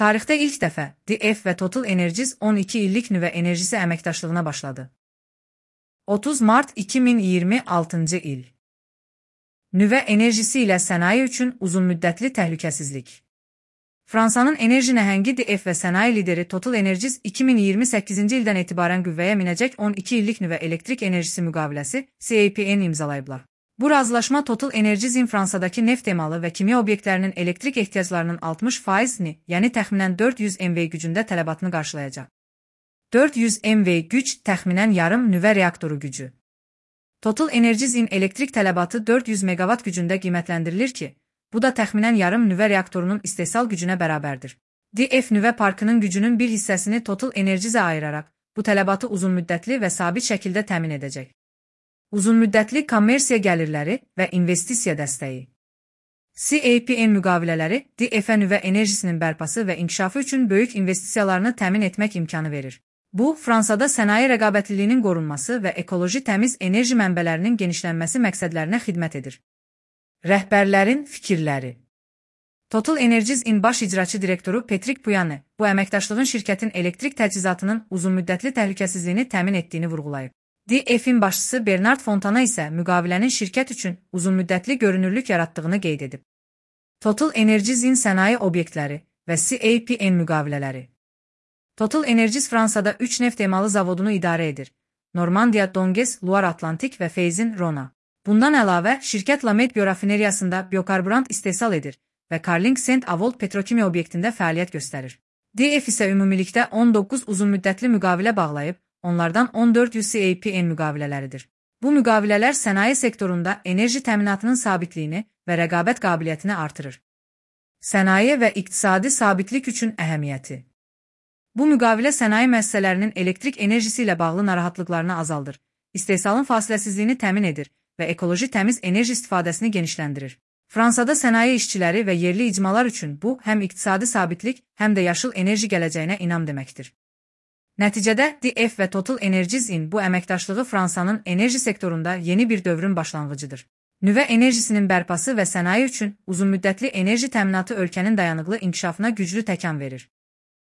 Tarixdə ilk dəfə DF və Total Energies 12 illik nüvə enerjisi əməkdaşlığına başladı. 30 mart 2026-cı il. Nüvə enerjisi ilə sənaye üçün uzunmüddətli təhlükəsizlik. Fransanın enerji nəhəngi DF və sənaye lideri Total Energies 2028-ci ildən etibarən qüvvəyə minəcək 12 illik nüvə elektrik enerjisi müqaviləsi CAPN imzalayıblar. Bu razılaşma Total Energies'in Fransadakı neft emalı və kimya obyektlərinin elektrik ehtiyaclarının 60%-ni, yəni təxminən 400 MV gücündə tələbatını qarşılayacaq. 400 MV güc təxminən yarım nüvə reaktoru gücü. Total Energies'in elektrik tələbatı 400 MW gücündə qiymətləndirilir ki, bu da təxminən yarım nüvə reaktorunun istehsal gücünə bərabərdir. DF nüvə parkının gücünün bir hissəsini Total Energies'ə ayıraraq, bu tələbatı uzunmüddətli və sabit şəkildə təmin edəcək. Uzunmüddətli kommersiya gəlirləri və investisiya dəstəyi. CAPN müqavilələri DF-ə nüvə enerjisinin bərpası və inkişafı üçün böyük investisiyalarını təmin etmək imkanı verir. Bu, Fransada sənaye rəqabətliliyinin qorunması və ekoloji təmiz enerji mənbələrinin genişlənməsi məqsədlərinə xidmət edir. Rəhbərlərin fikirləri. Total Energies'in baş icraçı direktoru Patrick Pouyanné bu əməkdaşlığın şirkətin elektrik təchizatının uzunmüddətli təhlükəsizliyini təmin etdiyini vurğulayıb. DF-in başçısı Bernard Fontana isə müqavilənin şirkət üçün uzunmüddətli görünürlük yaratdığını qeyd edib. Total Energies'in sənaye obyektləri və CAPN müqavilələri. Total Energies Fransada 3 neft emalı zavodunu idarə edir. Normandiya, Donges, Loire Atlantik və Feyzin, Rona. Bundan əlavə, şirkət Lamed biorafineriyasında biokarburant istehsal edir və Carling Saint-Avold petrokimya obyektində fəaliyyət göstərir. DF isə ümumilikdə 19 uzunmüddətli müqavilə bağlayıb, onlardan 14 CAPN müqavilələridir. Bu müqavilələr sənaye sektorunda enerji təminatının sabitliyini və rəqabət qabiliyyətini artırır. Sənaye və iqtisadi sabitlik üçün əhəmiyyəti. Bu müqavilə sənaye müəssisələrinin elektrik enerjisi ilə bağlı narahatlıqlarını azaldır, istehsalın fasiləsizliyini təmin edir və ekoloji təmiz enerji istifadəsini genişləndirir. Fransada sənaye işçiləri və yerli icmalar üçün bu həm iqtisadi sabitlik, həm də yaşıl enerji gələcəyinə inam deməkdir. Nəticədə DF və Total Energies'in bu əməkdaşlığı Fransanın enerji sektorunda yeni bir dövrün başlanğıcıdır. Nüvə enerjisinin bərpası və sənaye üçün uzunmüddətli enerji təminatı ölkənin dayanıqlı inkişafına güclü təkan verir.